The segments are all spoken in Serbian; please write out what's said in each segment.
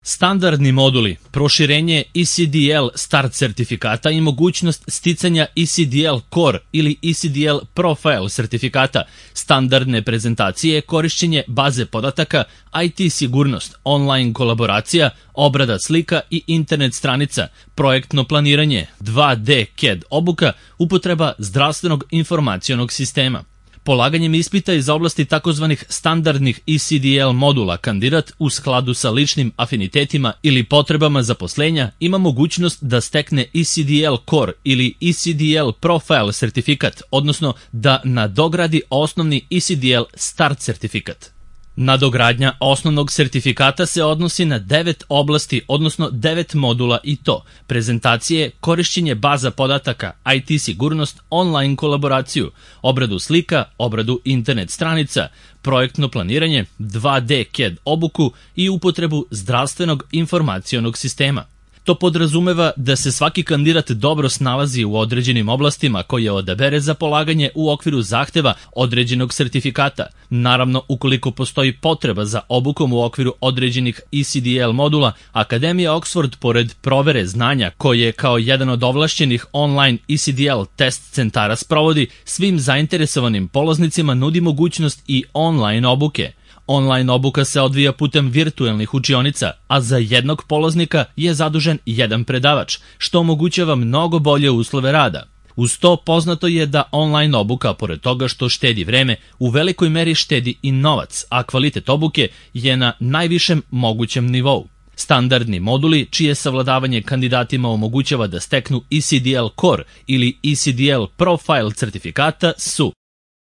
Standardni moduli, proširenje ECDL Start sertifikata i mogućnost sticanja ECDL Core ili ECDL Profile sertifikata, standardne prezentacije, korišćenje baze podataka, IT sigurnost, online kolaboracija, obrada slika i internet stranica, projektno planiranje, 2D CAD obuka, upotreba zdravstvenog informacionog sistema. Polaganjem ispita iz oblasti takozvanih standardnih ECDL modula kandidat u skladu sa ličnim afinitetima ili potrebama zaposlenja ima mogućnost da stekne ECDL Core ili ECDL Profile sertifikat, odnosno da nadogradi osnovni ECDL Start sertifikat. Nadogradnja osnovnog sertifikata se odnosi na 9 oblasti, odnosno 9 modula i to: prezentacije, korišćenje baza podataka, IT sigurnost, online kolaboraciju, obradu slika, obradu internet stranica, projektno planiranje, 2D CAD obuku i upotrebu zdravstvenog informacionog sistema. To podrazumeva da se svaki kandidat dobro snalazi u određenim oblastima koje odabere za polaganje u okviru zahteva određenog sertifikata. Naravno, ukoliko postoji potreba za obukom u okviru određenih ECDL modula, Akademija Oxford, pored provere znanja koje kao jedan od ovlašćenih online ECDL test centara sprovodi, svim zainteresovanim polaznicima nudi mogućnost i online obuke. Online obuka se odvija putem virtuelnih učionica, a za jednog polaznika je zadužen jedan predavač, što omogućava mnogo bolje uslove rada. Uz to poznato je da online obuka, pored toga što štedi vreme, u velikoj meri štedi i novac, a kvalitet obuke je na najvišem mogućem nivou. Standardni moduli, čije savladavanje kandidatima omogućava da steknu ECDL Core ili ECDL Profile certifikata su: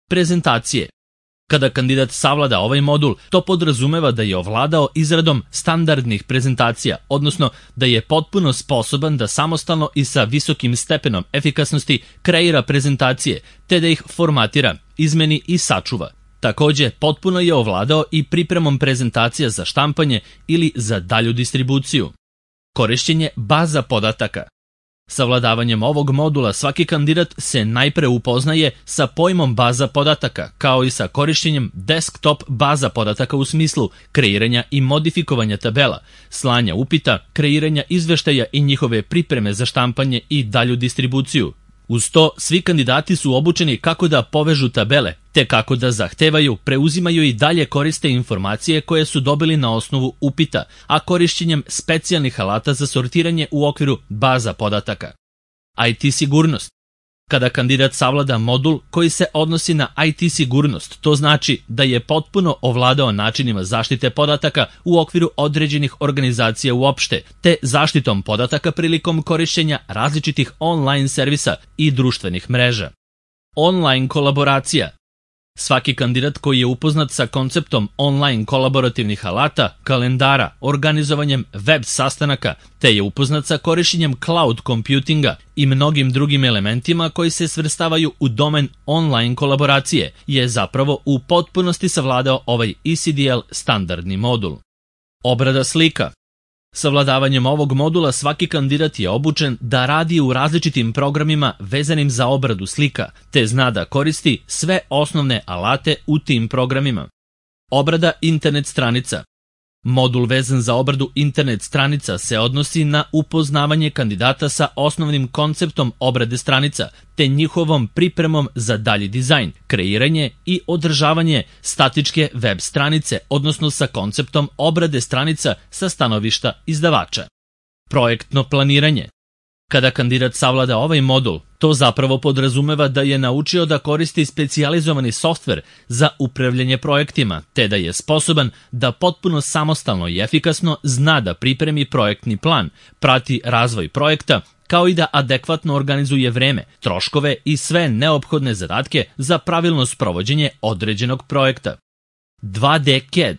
prezentacije. Kada kandidat savlada ovaj modul, to podrazumeva da je ovladao izradom standardnih prezentacija, odnosno da je potpuno sposoban da samostalno i sa visokim stepenom efikasnosti kreira prezentacije, te da ih formatira, izmeni i sačuva. Takođe, potpuno je ovladao i pripremom prezentacija za štampanje ili za dalju distribuciju. Korišćenje baza podataka. Savladavanjem ovog modula svaki kandidat se najpre upoznaje sa pojmom baza podataka, kao i sa korišćenjem desktop baza podataka u smislu kreiranja i modifikovanja tabela, slanja upita, kreiranja izveštaja i njihove pripreme za štampanje i dalju distribuciju. Uz to, svi kandidati su obučeni kako da povežu tabele, te kako da zahtevaju, preuzimaju i dalje koriste informacije koje su dobili na osnovu upita, a korišćenjem specijalnih alata za sortiranje u okviru baza podataka. IT sigurnost. Kada kandidat savlada modul koji se odnosi na IT sigurnost, to znači da je potpuno ovladao načinima zaštite podataka u okviru određenih organizacija uopšte, te zaštitom podataka prilikom korišćenja različitih online servisa i društvenih mreža. Online kolaboracija. Svaki kandidat koji je upoznat sa konceptom online kolaborativnih alata, kalendara, organizovanjem web sastanaka, te je upoznat sa korišćenjem cloud computinga i mnogim drugim elementima koji se svrstavaju u domen online kolaboracije, je zapravo u potpunosti savladao ovaj ECDL standardni modul. Obrada slika. Savladavanjem ovog modula svaki kandidat je obučen da radi u različitim programima vezanim za obradu slika, te zna da koristi sve osnovne alate u tim programima. Obrada internet stranica. Modul vezan za obradu internet stranica se odnosi na upoznavanje kandidata sa osnovnim konceptom obrade stranica, te njihovom pripremom za dalji dizajn, kreiranje i održavanje statičke web stranice, odnosno sa konceptom obrade stranica sa stanovišta izdavača. Projektno planiranje. Kada kandidat savlada ovaj modul, to zapravo podrazumeva da je naučio da koristi specijalizovani softver za upravljanje projektima, te da je sposoban da potpuno samostalno i efikasno zna da pripremi projektni plan, prati razvoj projekta, kao i da adekvatno organizuje vreme, troškove i sve neophodne zadatke za pravilno sprovođenje određenog projekta. 2D CAD.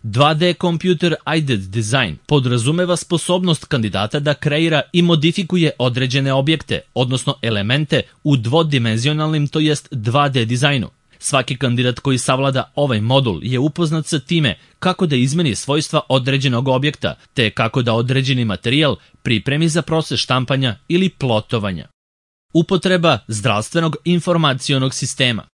2D Computer Aided Design podrazumeva sposobnost kandidata da kreira i modifikuje određene objekte, odnosno elemente u dvodimenzionalnim, to jest 2D dizajnu. Svaki kandidat koji savlada ovaj modul je upoznat sa time kako da izmeni svojstva određenog objekta, te kako da određeni materijal pripremi za proces štampanja ili plotovanja. Upotreba zdravstvenog informacionog sistema.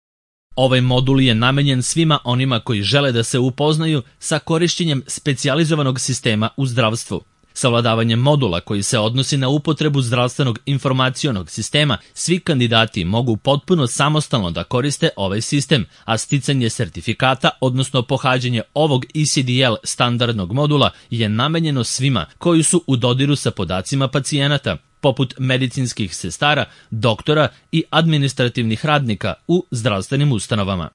Ovaj modul je namenjen svima onima koji žele da se upoznaju sa korišćenjem specijalizovanog sistema u zdravstvu. Savladavanjem modula koji se odnosi na upotrebu zdravstvenog informacionog sistema, svi kandidati mogu potpuno samostalno da koriste ovaj sistem, a sticanje sertifikata, odnosno pohađanje ovog ECDL standardnog modula je namenjeno svima koji su u dodiru sa podacima pacijenata, poput medicinskih sestara, doktora i administrativnih radnika u zdravstvenim ustanovama.